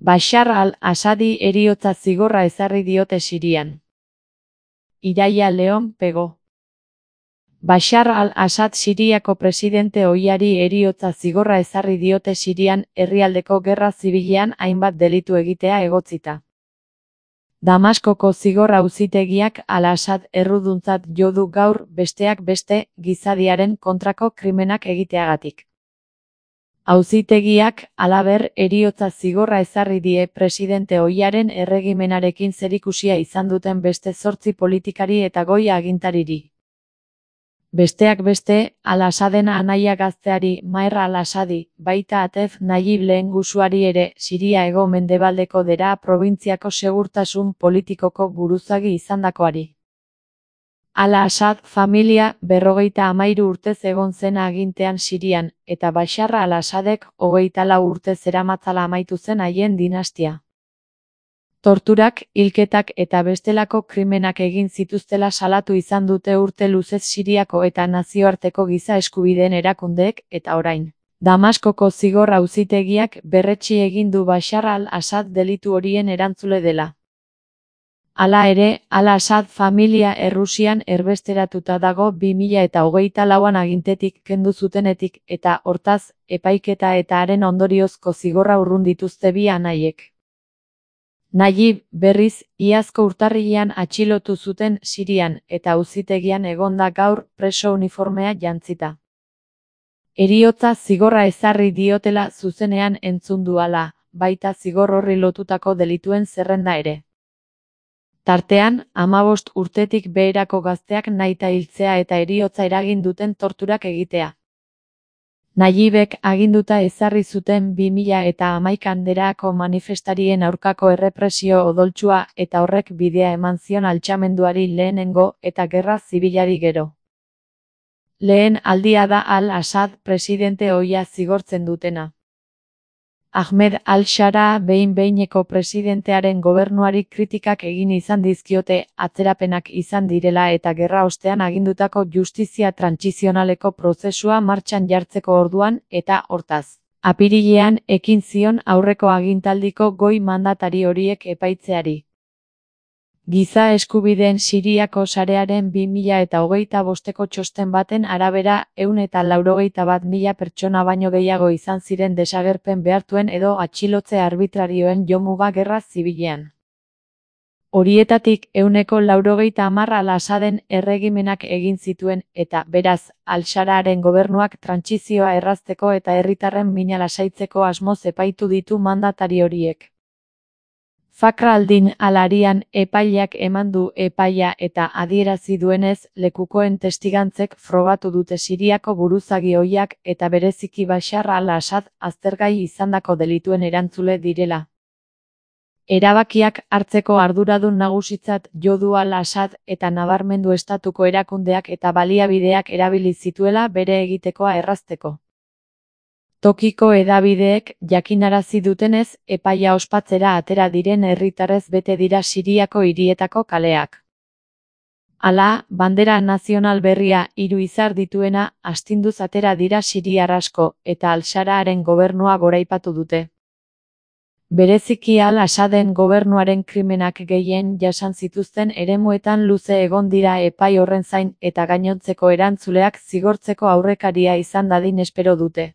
Bashar al-Assadi heriotza zigorra ezarri diote Sirian. Iraia Leon Pego. Bashar al-Assad Siriako presidente ohiari heriotza zigorra ezarri diote Sirian, herrialdeko gerra zibilean hainbat delitu egitea egotzita. Damaskoko zigor auzitegiak al-Assad erruduntzat jo du gaur, besteak beste, gizadiaren kontrako krimenak egiteagatik. Auzitegiak, halaber, heriotza zigorra ezarri die presidente ohiaren erregimenarekin zerikusia izan duten beste 8 politikari eta goi agintariri. Besteak beste, al-Assaden anaia gazteari, Maher al-Assadi, baita Atef Nayib lehengusuari ere, Siria hego-mendebaldeko Deraa probintziako segurtasun politikoko buruzagi izandakoari. Al-Assad familia 53 urtez egon zen agintean Sirian, eta Bashar al-Assadek 24 urte zeramatzala amaitu zen haien dinastia. Torturak, hilketak eta bestelako krimenak egin zituztela salatu izan dute urte luzez Siriako eta nazioarteko giza eskubideen erakundeek, eta orain. Damaskoko zigor auzitegiak berretsi egin du Bashar al-Assad delitu horien erantzule dela. Hala ere, al-Assad familia Errusian erbesteratuta dago 2024an agintetik kendu zutenetik eta, hortaz, epaiketa eta haren ondoriozko zigorra urrun dituzte bi anaiek. Nayib, berriz, iazko urtarrilean atxilotu zuten Sirian eta auzitegian egonda gaur preso uniformea jantzita. Heriotza zigorra ezarri diotela zuzenean entzun du hala, baita zigor horri lotutako delituen zerrenda ere. Tartean, 15 urtetik beherako gazteak nahita hiltzea eta heriotza eragin duten torturak egitea. Nayibek aginduta ezarri zuten 2011an Deraako manifestarien aurkako errepresio odoltsua eta horrek bidea eman zion altxamenduari lehenengo eta gerra zibilari gero. Lehen aldia da al-Assad presidente ohia zigortzen dutena. Ahmed al-Shara behin-behineko presidentearen gobernuari kritikak egin izan dizkiote, atzerapenak izan direla eta gerra ostean agindutako justizia trantsizionaleko prozesua martxan jartzeko orduan eta, hortaz, apirilean ekin zion aurreko agintaldiko goi mandatari horiek epaitzeari. Giza eskubideen Siriako sarearen 2025ko txosten baten arabera 181.000 pertsona baino gehiago izan ziren desagerpen behartuen edo atxilotze arbitrarioen jomuga gerra zibilean. Horietatik 190 al-Assaden erregimenak egin zituen eta, beraz, al-Shararen gobernuak trantsizioa errazteko eta herritarren mina lasaitzeko asmoz epaitu ditu mandatari horiek. Fakhr al-Din al-Arian epaileak eman du epaia eta adierazi duenez, lekukoen testigantzek frogatu dute Siriako buruzagi ohiak eta bereziki Bashar al-Assad aztergai izandako delituen erantzule direla. Erabakiak hartzeko arduradun nagusitzat jo du al-Assad eta nabarmendu estatuko erakundeak eta baliabideak erabili zituela bere egitekoa errazteko. Tokiko hedabideek jakinarazi dutenez, epaia ospatzera atera diren herritarrez bete dira Siriako hirietako kaleak. Hala, bandera nazional berria 3 izar dituena astinduz atera dira siriar asko eta al-Shararen gobernua goraipatu dute. Bereziki al-Assaden gobernuaren krimenak gehien jasan zituzten eremuetan luze egon dira epai horren zain eta gainontzeko erantzuleak zigortzeko aurrekaria izan dadin espero dute.